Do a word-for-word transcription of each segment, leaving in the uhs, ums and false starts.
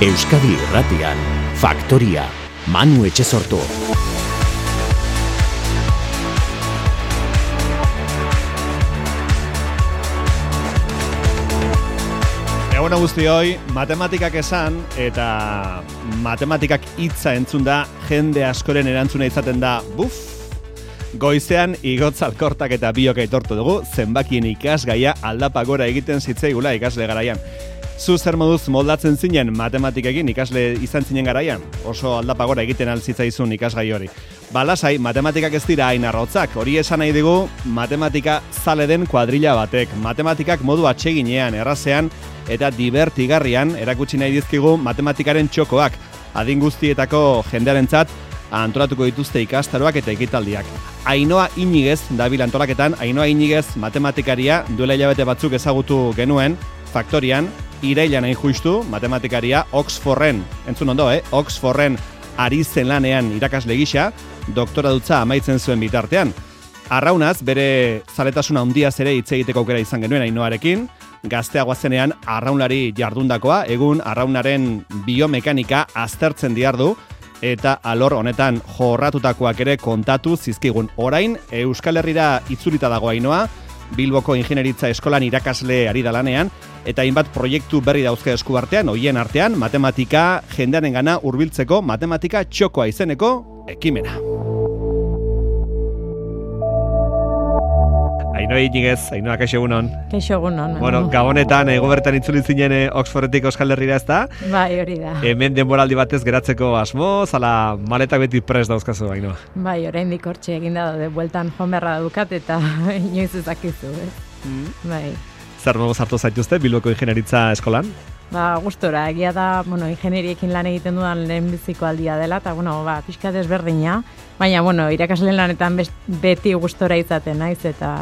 Euskadi Irratian, Faktoria, Manu Etxesortu. Egun guztioi, matematikak esan eta matematikak hitza entzun da jende askoren erantzuna izaten da buf. Goizean igotz alkortak eta biok aitortu dugu zenbakien ikasgaia aldapa gora egiten zitzaigula ikasle garaian. Zu zer moduz moldatzen zinen matematikekin ikasle izan zinen garaian? Oso aldapa gora egiten altzitzaizun ikasgai hori. Balasai, matematikak ez dira hain arrotzak. Hori esan nahi digu matematika zale den kuadrilla batek. Matematikak modu atseginean, errazean eta divertigarrian erakutsi nahi dizkigu matematikaren txokoak. Adin guztietako jendearentzat antolatuko dituzte ikastaroak eta ekitaldiak. Ainhoa Iñiguez dabil antolaketan, Ainhoa Iñiguez matematikaria duela hilabete batzuk ezagutu genuen, Faktorian, irailan hain justu, matematikaria Oxforden, entzun ondo, eh? Oxforden ari zen lanean irakasle gisa, doktora dutza amaitzen zuen bitartean. Arraunaz, bere zaletasuna handiaz ere hitz egiteko aukera izan genuen Ainhoarekin, gazteagoa zenean arraunlari jardundakoa, egun arraunaren biomekanika aztertzen diardu, eta alor honetan jorratutakoak ere kontatu zizkigun. Orain, Euskal Herrira itzulita dago Ainhoa, Bilboko Ingenieritza Eskolan irakasle ari da lanean, eta hainbat proiektu berri dauzke esku artean, hoien artean, matematika jendearengana hurbiltzeko matematika txokoa izeneko ekimena. Ainhoa Iñiguez, Ainhoa, kaixo egunon. Kaixo egunon. Bueno, gabonetan, ego bertan itzuli zinen Oxfordetik Euskal Herrira ez da? Bai, hori da. Hemen denboraldi batez geratzeko asmo, zala maletak beti prest dauzkazu, Ainhoa. Bai, oraindik hortxe eginda daude, bueltan joan beharra dukat eta inoiz ezakizu, eh? Mm. Bai. Zer modu sartu zaituzte Bilboko Ingenieritza Eskolan? Ba, gustora, egia da, bueno, ingenieriekin lan egiten dudan lehenbiziko aldia dela, eta, bueno, ba, pixka desberdina, baina, bueno, irakasleen lanetan beti gustora izaten naiz, eta,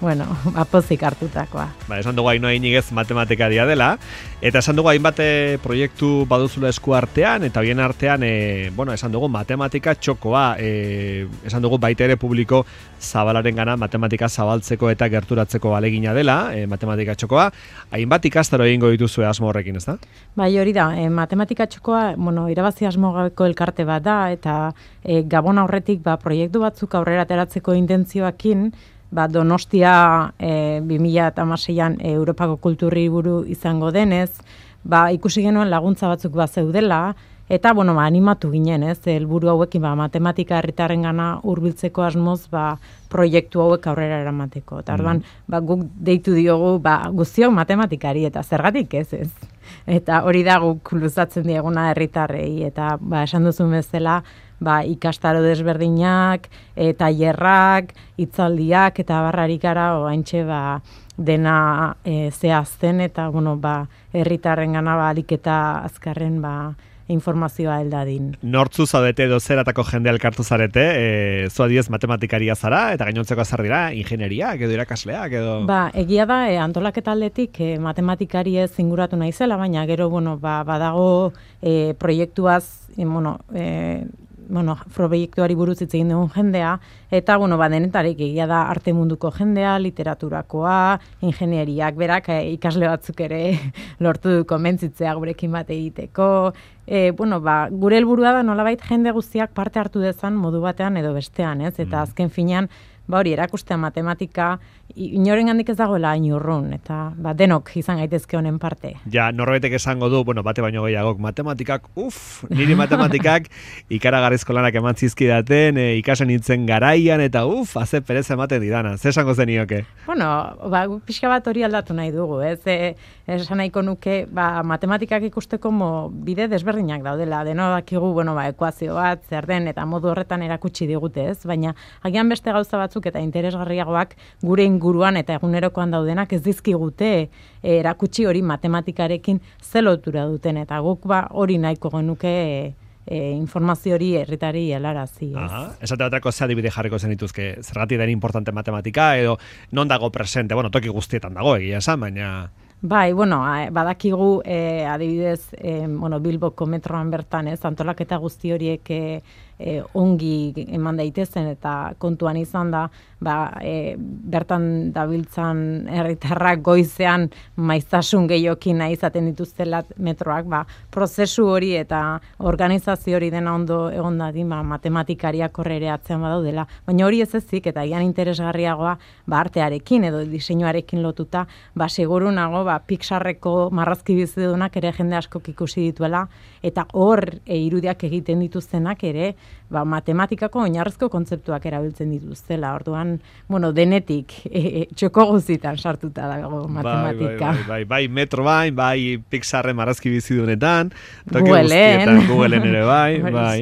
bueno, apozik hartutakoa. Ba, esan dugu Ainhoa Iñiguez matematikaria dela, eta esan dugu hainbat proiektu baduzula esku artean, eta bien artean, e, bueno, esan dugu matematika txokoa, e, esan dugu baita ere publiko zabalaren gana matematika zabaltzeko eta gerturatzeko alegina dela, e, matematika txokoa, hainbat ikastaro egingo dituzue asmo horrekin, ez da? Bai, hori da, e, matematika txokoa, bueno, irabazi asmo gabeko elkarte bat da, eta e, gabon aurretik, ba, proiektu batzuk aurrera ateratzeko intentzioakin, ba, Donostia e, bi mila hamaseian e, Europako kulturriburu izango denez, ba, ikusi genuen laguntza batzuk bat zeudela, eta, bueno, ba, animatu ginen, ez, helburu hauekin, ba, matematika herritarrengana hurbiltzeko asmoz, ba, proiektu hauek aurrera eramateko. Eta, orduan, ba, guk deitu diogu, ba, guztiok matematikari, eta zergatik ez, ez. Eta hori da guk luzatzen dieguna herritarrei, eta, ba, esan duzun bezala, ba, ikastaro desberdinak, e, tailerrak, hitzaldiak eta barrarik gara oraintxe ba, dena e, zehazten eta bueno, ba, herritarrengana ba, alik eta azkarren ba, informazioa heldadin. Nortzu zaudete edo zeratako jende elkartu zarete, e, zu adiez matematikaria zara, eta gainontzeko azar dira, ingenieriak edo irakasleak edo... Ba, egia da, e, antolaketa aldetik e, matematikari ez inguratu naizela, baina gero, bueno, ba, badago e, proiektuaz, e, bueno, e, bueno, proiektuari buruz hitz egin dugun jendea, eta, bueno, ba, denetarik egia da arte munduko jendea, literaturakoa, ingenieriak, berak, e, ikasle batzuk ere lortu du konbentzitzea gurekin bat egiteko, e, bueno, ba, gure helburua da nolabait jende guztiak parte hartu dezan modu batean edo bestean, ez? Eta azken finean, ba hori, erakustea matematika, inoren handik ez dagoela hain urrun, eta ba, denok izan gaitezke honen parte. Ja, norbaitek esango du, bueno, bate baino gehiagok, matematikak, uf, niri matematikak ikaragarrizko lanak eman zizkidaten, e, ikasen nintzen garaian, eta uf, haze perez ematen didana, ze esango zenioke? Bueno, ba, pixka bat hori aldatu nahi dugu, ez? E, esan nahiko nuke, ba, matematikak ikusteko mo, bide desberdinak daudela, deno dakigu, bueno, ba, ekuazio bat, zer den, eta modu horretan erakutsi digute, ez? Baina, agian beste gauza batzuk eta interesgarriagoak gure inguruan eta egunerokoan daudenak ez dizkigute e, erakutsi hori matematikarekin ze lotura duten, eta guk ba hori nahiko genuke e, e, informazio hori herritari helarazi. Esate baterako ze adibide jarriko zenituzke, zergatik den importante matematika edo non dago presente, bueno, toki guztietan dago egia esan, baina... Bai, bueno, badakigu e, adibidez, e, bueno, Bilboko metroan bertan, ez, antolaketa guzti horiek e, e, ongi eman daitezen eta kontuan izan da, ba, e, bertan dabiltzan herritarrak goizean maiztasun gehiokin nahi izaten dituztela metroak, ba, prozesu hori eta organizazio hori dena ondo egon dadin, ba, matematikariak horre atzean badaudela. Baina hori ez ezik, eta gian interesgarriagoa, ba, artearekin edo diseinuarekin lotuta, ba, seguru nago, ba, Pixarreko marrazki bizidunak ere jende askok ikusi dituela, eta hor e, irudiak egiten dituztenak ere, ba, matematikako oinarrizko kontzeptuak erabiltzen dituztela. Orduan, bueno, denetik e, e, txoko guzitan sartuta dago matematika. Bai, bai, bai, bai, metro bai, bai Pixarren marrazki bizidunetan, Googleen. Googleen ere bai, bai.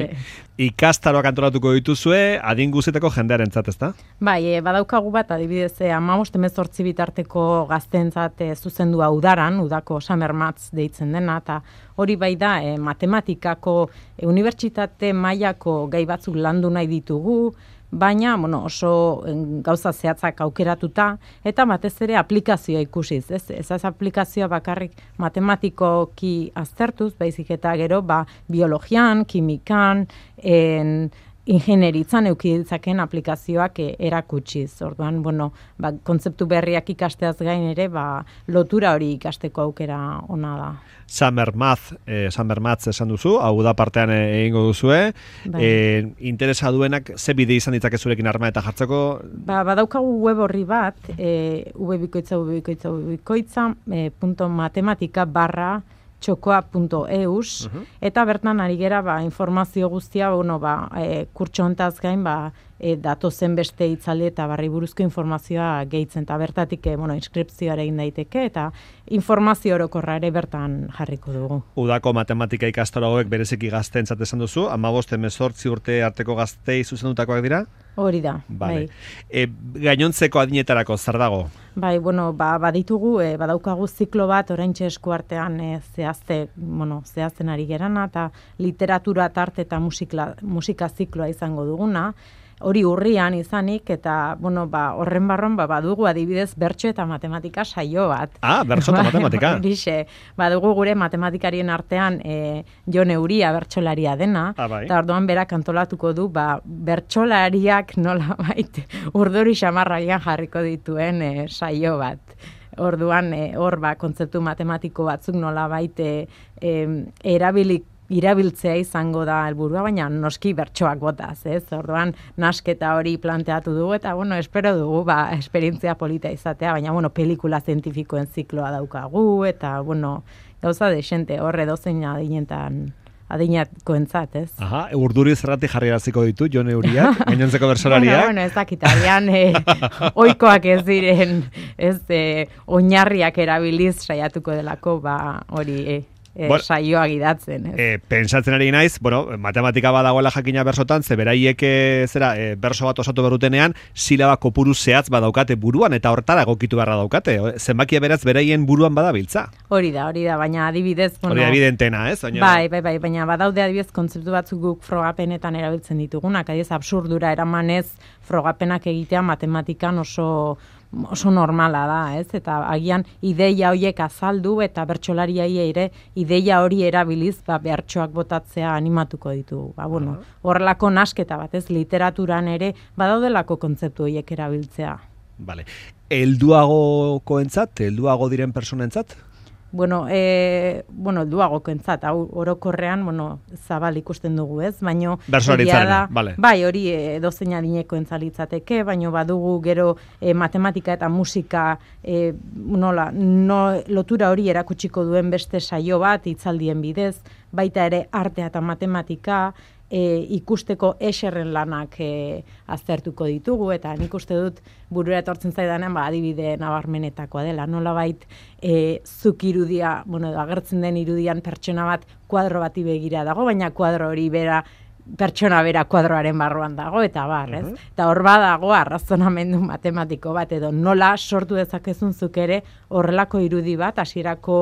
Ikastaroak antolatuko dituzue, adin guztietako jendearentzat, ezta? Bai, e, badaukagu bat, adibidez, e, hamabost hemezortzi bitarteko gazteentzat e, zuzendua udaran, udako Summer Maths deitzen dena, eta hori bai da, e, matematikako e, unibertsitate mailako gai batzuk landu nahi ditugu, baina bueno, oso gauza zehatzak aukeratuta, eta batez ere aplikazioa ikusiz. Ez, ez az aplikazioa bakarrik matematikoki aztertuz, baizik eta gero ba, biologian, kimikan, en, ingenieritzan euki ditzaken aplikazioak e, erakutsiz. Orduan, bueno, ba, kontzeptu berriak ikasteaz gain ere, ba, lotura hori ikasteko aukera ona da. Summer Math, eh, Summer Maths esan duzu, hau da partean egingo duzue. Bai. Eh, interesa duenak, ze bide izan ditzake zurekin harma eta jartzeko? Ba, badaukagu web horri bat, e, ubebikoitza, ubebikoitza, ubebikoitza, e, punto matematika barra txokoa punto eus, uh-huh. Eta bertan ari gera ba, informazio guztia, bueno, ba, e, kurtso hontaz gain, ba, e, datozen beste itzaldi eta barri buruzko informazioa gehitzen, eta bertatik e, bueno, inskripzioa egin daiteke, eta informazio orokorra ere bertan jarriko dugu. Udako matematika ikastaro hauek bereziki gazteentzat esan duzu, hamabost hemezortzi urte arteko gaztei zuzendutakoak dira? Hori da, vale. Bai. E, gainontzeko adinetarako, zer dago? Bai, bueno, ba, baditugu, e, badaukagu ziklo bat, oraintxe eskuartean e, zehazte, bueno, zehazten ari gerana, eta literatura tarte eta musika, musika zikloa izango duguna, hori urrian izanik, eta, bueno, ba, horren barron, ba, badugu adibidez bertso eta matematika saio bat. Ah, bertso eta matematika. Horixe, badugu gure matematikarien artean e, Jon Euria bertsolaria dena, ah, bai. Eta orduan berak antolatuko du, ba, bertsolariak nola baita urduri xamarraian jarriko dituen e, saio bat. Orduan, e, hor, ba, kontzeptu matematiko batzuk nola baita e, erabilik irabiltzea izango da helburua, baina noski bertsoak botaz, ez? Orduan, nasketa hori planteatu dugu, eta, bueno, espero dugu, ba, esperientzia polita izatea, baina, bueno, pelikula zientifikoen zikloa daukagu, eta, bueno, gauza desente, horre dozein adinetan adinatkoentzat, ez? Aha, urduri zerrati jarri eraziko ditu, Jon Euriak, gainontzeko bersolariak. bueno, bueno, ez dakit, agian eh, oikoak ez diren, ez, eh, oinarriak erabiliz saiatuko delako, ba, hori, eh, E, bueno, saioa gidatzen. Ez? E, pensatzen ari naiz, bueno, matematika badagoela jakina bersotan, ze beraiek zera, e, berso bat osatu berrutenean, silaba kopuru zehatz badaukate buruan, eta hortara egokitu beharra daukate. Zenbakia beraz beraien buruan badabiltza. Hori da, hori da, baina adibidez... Bueno, hori da evidentena, ez? Oino... Bai, bai, bai, baina badaude adibidez kontzeptu batzuk guk frogapenetan erabiltzen ditugunak, adibidez absurdura eramanez frogapenak egitea matematikan oso... oso normala da, ez? Eta agian ideia horiek azaldu eta bertsolariai ere ideia hori erabiliz, ba, bertsoak botatzea animatuko ditu. Ba, bueno, horrelako nasketa bat, ez? Literaturan ere badaudelako kontzeptu horiek erabiltzea. Vale. Helduagokoentzat, helduago diren personentzat? Bueno, e, bueno, helduagokoentzat, hau orokorrean, bueno, zabal ikusten dugu, ez? Baino bersolaritzarena, vale. Bai, hori e, dozein adinekoentzat litzateke, baino badugu gero e, matematika eta musika e, nola, no, lotura hori erakutsiko duen beste saio bat hitzaldien bidez, baita ere artea eta matematika, E, ikusteko eserren lanak e, aztertuko ditugu, eta nik uste dut burura etortzen zaidanean ba, adibide nabarmenetakoa dela. Nolabait e, zuk irudia, bueno, agertzen den irudian pertsona bat kuadro bati begira dago, baina kuadro hori bera pertsona bera kuadroaren barruan dago, eta bar, ez? Uh-huh. Eta hor badago arrazonamendu matematiko bat, edo nola sortu dezakezun zuk ere horrelako irudi bat, hasierako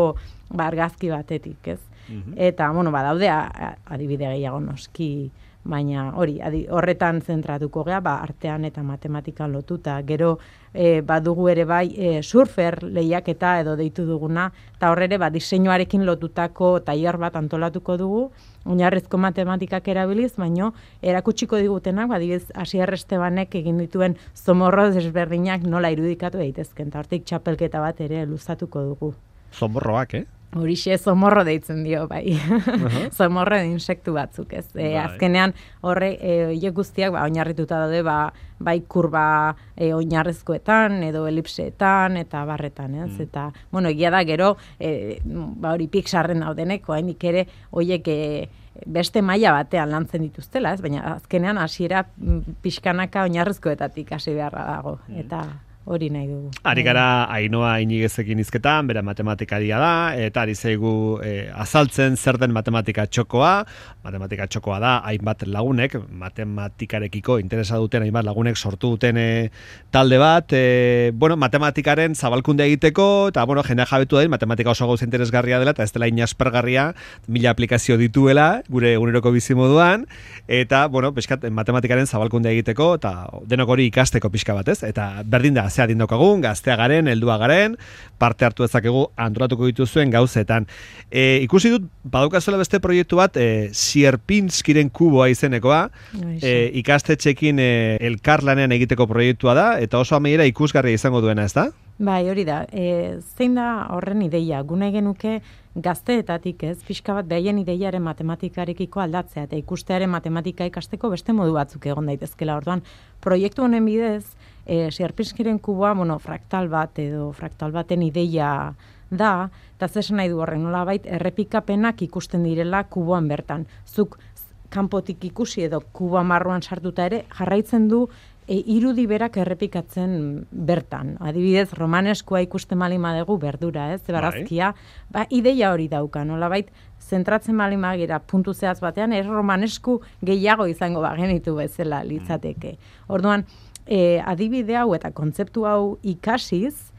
ba, argazki batetik, ez? Uh-huh. Eta, bueno, badaude adibide gehiago noski, baina hori, adi, horretan zentratuko gea, ba, artean eta matematikan lotuta. Gero e, badugu ere bai e, surfer lehiaketa edo deitu duguna, eta horre ba, diseinuarekin lotutako tailer bat antolatuko dugu, oinarrizko matematikak erabiliz, baino erakutsiko digutenak, badibidez Asier Estebanek egin dituen zomorro desberdinak nola irudikatu daitezken, eta hortik txapelketa bat ere luzatuko dugu. Zomorroak, eh? Horixe zomorro deitzen dio, bai. Uh-huh. Zomorro de insektu batzuk, ez. E, azkenean, horre, e, guztiak, ba, oinarrituta daude, ba, bai kurba e, oinarrezkoetan, edo elipseetan, eta barretan, ez. Mm. Eta, bueno, egia da, gero, e, ba, hori Pixarren daudenek, hainik ere, hoiek, e, beste maila batean lantzen dituztela, ez. Baina, azkenean, hasiera pixkanaka oinarrezkoetatik hasi beharra dago, mm. eta... hori nahi dugu. Ari gara Ainhoa Inigezekin hizketan, bera matematikaria da, eta ari zaigu e, azaltzen zer den matematika txokoa. Matematika txokoa da, hainbat lagunek, matematikarekiko interesa duten hainbat lagunek sortu duten e, talde bat, e, bueno, matematikaren zabalkunde egiteko, eta bueno, jendea jabetu da, matematika oso gauza interesgarria dela, eta ez dela inaspergarria, mila aplikazio dituela, gure eguneroko bizimoduan, eta, bueno, pixkat, matematikaren zabalkunde egiteko, eta denok hori ikasteko pixka batez, eta berdin da, zea dindokagun, gaztea garen, heldua garen, parte hartu ezakegu antolatuko dituzuen gauzetan. E, ikusi dut, badaukazuela beste proiektu bat, e, Sierpinskiren kuboa izenekoa, e, ikastetxekin e, elkarlanean egiteko proiektua da, eta oso amaiera ikusgarria izango duena, ez da? Bai, hori da. E, zein da horren ideia? Gune genuke gazteetatik, ez, pixka bat behaien ideiaren matematikarekiko aldatzea, eta ikustearen matematika ikasteko beste modu batzuk egon daitezkela. Orduan, proiektu honen bidez, e, Sierpinskiren kuboa, bueno, fraktal bat edo fraktal baten ideia da, eta zesan nahi du horren, nolabait errepikapenak ikusten direla kuboan bertan. Zuk kanpotik ikusi edo kuboa marruan sartuta ere, jarraitzen du e, irudi berak errepikatzen bertan. Adibidez, romaneskoa ikusten malin badegu berdura, ez, barazkia, ba, ideia hori dauka, nolabait, zentratzen malin bagira puntu zehaz batean, ez romanesku gehiago izango bagenitu bezala litzateke. Orduan, e, adibide hau eta kontzeptu hau ikasiz,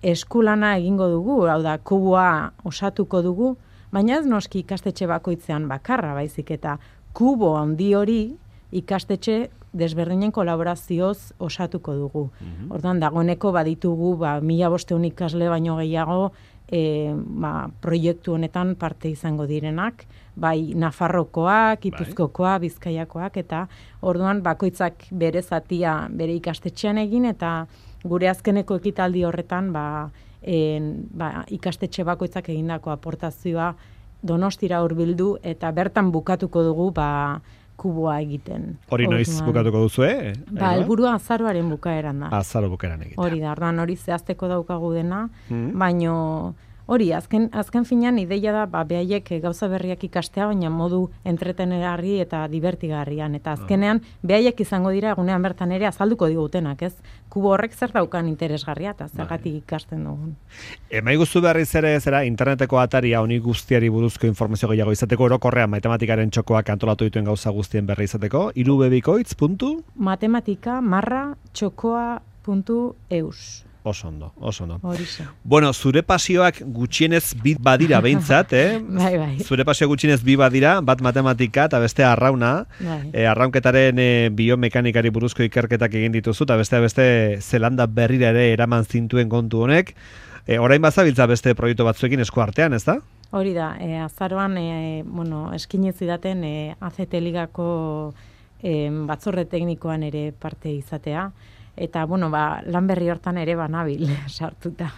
eskulana egingo dugu, hau da, kuboa osatuko dugu, baina ez noski ikastetxe bakoitzean bakarra, baizik eta kubo handi hori ikastetxe desberdinen kolaborazioz osatuko dugu. Mm-hmm. Orduan, dagoeneko baditugu, ba, mila bosteun ikasle baino gehiago, e, ba, proiektu honetan parte izango direnak, bai Nafarrokoak, Gipuzkoakoa, Bizkaiakoak, eta orduan bakoitzak bere zatia bere ikastetxean egin, eta gure azkeneko ekitaldi horretan ba, en, ba, ikastetxe bakoitzak egindako aportazioa Donostira hurbildu eta bertan bukatuko dugu ba, kuboa egiten. Hori noiz bukatuko duzu, eh? Ba, helburua azaroaren bukaeran da. Azaro bukaeran egiten. Hori da, orduan hori zehazteko daukagu dena, mm. baino hori, azken, azken finean ideia da, ba, behaiek gauza berriak ikastea, baina modu entretenerarri eta divertigarrian. Eta azkenean, behaiek izango dira egunean bertan ere azalduko digutenak, ez? Kubo horrek zer daukan interesgarria eta zergatik ikasten dugun. Emai guztu berriz ere zera, interneteko ataria honi guztiari buruzko informazio gehiago izateko, orokorrean matematikaren txokoak antolatu dituen gauza guztien berri izateko, irubebikoitz puntu? Matematika marra txokoa puntu eus. Oso ondo, oso ondo. Horixe. Bueno, zure pasioak gutxienez bi badira behintzat, eh? bai, bai. Zure pasioak gutxienez bi badira, bat matematika eta beste arrauna. Bai. E, arraunketaren e, biomekanikari buruzko ikerketak egin dituzu, eta beste beste Zelanda berrira ere eraman zintuen kontu honek. E, orain bazabiltza beste proiektu batzuekin esku artean, ez da? Hori da, e, azaroan, e, bueno, eskinez idaten e, A Z T Ligako e, batzorde teknikoan ere parte izatea. Eta, bueno, ba, lan berri hortan ere banabil sartuta.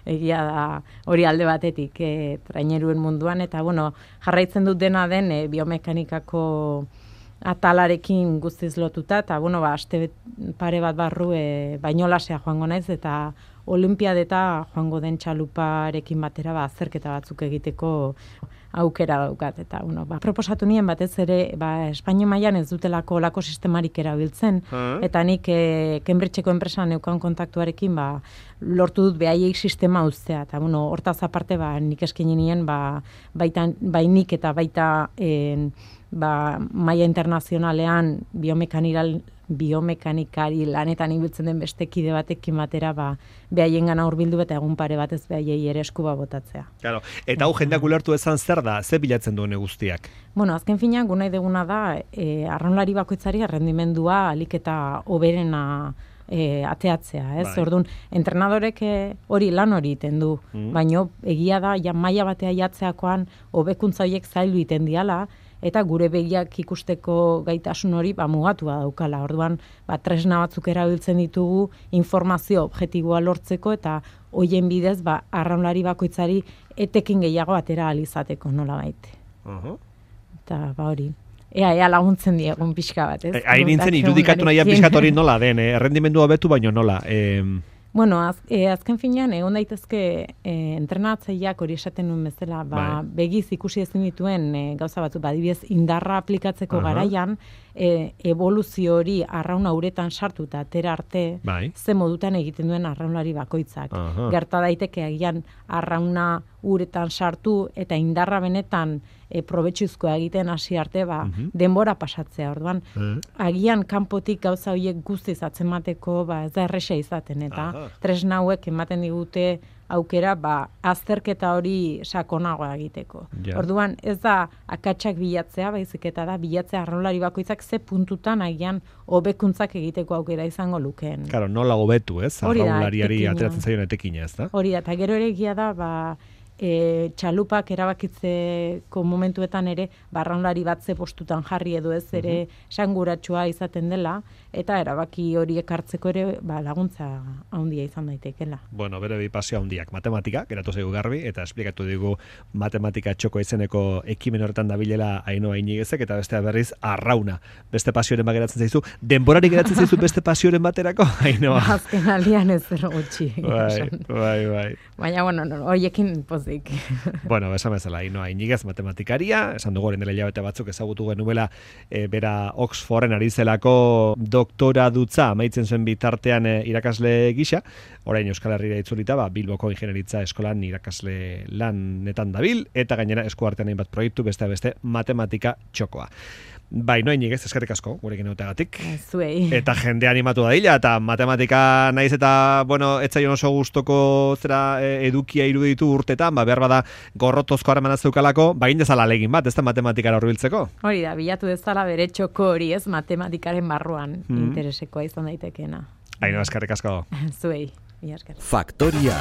Egia da hori alde batetik e, traineruen munduan. Eta, bueno, jarraitzen dut dena den e, biomekanikako atalarekin guztiz lotuta. Eta, bueno, ba, aste pare bat barru e, Bainolasea joango naiz eta olimpiadeta joango den txaluparekin batera ba, azterketa batzuk egiteko aukera daukat. Eta, bueno, ba, proposatu nien batez ere, ba, Espainia mailan ez dutelako olako sistemarik erabiltzen, uh-huh. eta nik e, Cambridgeko enpresan neukan kontaktuarekin, ba, lortu dut behaiei sistema uztea. Eta, bueno, hortaz aparte, ba, nik eskaini nien, ba, baita, bainik eta baita en, ba, maila internazionalean biomekanikal biomekanikari lanetan ibiltzen den beste kide batekin batera, ba, behaiengana hurbildu eta egun pare batez behaiei ere eskuba botatzea. Claro. Eta hau jendeak ulertu ezan zer da, ze bilatzen duen guztiak? Bueno, azken finean, gu nahi deguna da, e, arraunlari bakoitzari errendimendua alik eta hoberena e, ateatzea, ez? Bai. Orduan, entrenadorek e, hori lan hori iten du, Mm. baino egia da, ja maila batea jatzeakoan hobekuntza horiek zaildu iten diala, eta gure begiak ikusteko gaitasun hori ba, mugatua daukala. Orduan, ba, tresna batzuk erabiltzen ditugu informazio objektiboa lortzeko eta hoien bidez ba, arraunlari bakoitzari etekin gehiago atera ahal izateko nola baite. Uh-huh. Eta ba hori. Ea, ea laguntzen diegun pixka bat, ez? E, Hain nintzen irudikatu nahian pixkat hori nola den, eh? Errendimendua betu baino nola. Eh, Bueno, az, e, azken finean, egon daitezke e, entrenatzaileak hori esaten nuen bezala, ba, Bai. begiz ikusi ezin dituen e, gauza batzu, badibidez indarra aplikatzeko Aha. garaian, e, evoluzio hori arrauna uretan sartu eta atera arte, Bai. ze modutan egiten duen arraunlari bakoitzak. Aha. Gerta daiteke agian arrauna uretan sartu eta indarra benetan e, probetxuzkoa egiten hasi arte, ba, Mhm. denbora pasatzea. Orduan, Eh. agian kanpotik gauza horiek guztiz atzemateko ba, ez da erresa izaten, eta Aha. tresna hauek ematen digute aukera ba, azterketa hori sakonagoa egiteko. Ja. Orduan, ez da akatsak bilatzea, baizik eta da bilatzea arraunlari bakoitzak ze puntutan agian hobekuntzak egiteko aukera izango lukeen. Claro, nola hobetu, ez? Hori da, Arraunlariari etekina. ateratzen zaion etekina, ez da? Hori da, eta gero ere egia da, ba, e, txalupak erabakitzeko momentuetan ere, barraunlari bat ze postutan jarri edo ez ere esanguratsua izaten dela, eta erabaki horiek hartzeko ere ba, laguntza handia izan daitekela. Bueno, bere bi pasio handiak, matematika, geratu zaigu garbi, eta esplikatu digu matematika txoko izeneko ekimen horretan dabilela Ainhoa Inigezek, eta bestea berriz arrauna. Beste pasioren bat geratzen zaizu, denborari geratzen zaizu beste pasioren baterako, Ainhoa. Azken aldian ez zer gutxi. Bai, esan. bai, bai. Baina, bueno, no, horiekin pozik. Bueno, esan bezala, Ainhoa Inigez matematikaria, esan dugu orain dela hilabete batzuk ezagutu genuela e, bera Oxforden ari zelako doktora dutza amaitzen zuen bitartean e, irakasle gisa, orain Euskal Herrira itzulita, ba, Bilboko Ingenieritza Eskolan irakasle lanetan dabil, eta gainera eskuartean hainbat proiektu beste beste matematika txokoa. Bai, no Inigez, eskerrik asko gurekin egoteagatik. Zuei. Eta jende animatu da dila, eta matematika naiz eta, bueno, etzaion oso gustoko zera e, edukia iruditu urtetan, ba, behar bada gorrotozko harreman zeukalako, ba, indezala legin bat, ez da matematikara hurbiltzeko. Hori da, bilatu dezala bere txoko hori ez matematikaren barruan Mhm. interesekoa izan daitekeena. Ainhoa, eskerrik asko. Zuei, mila esker. Faktoria.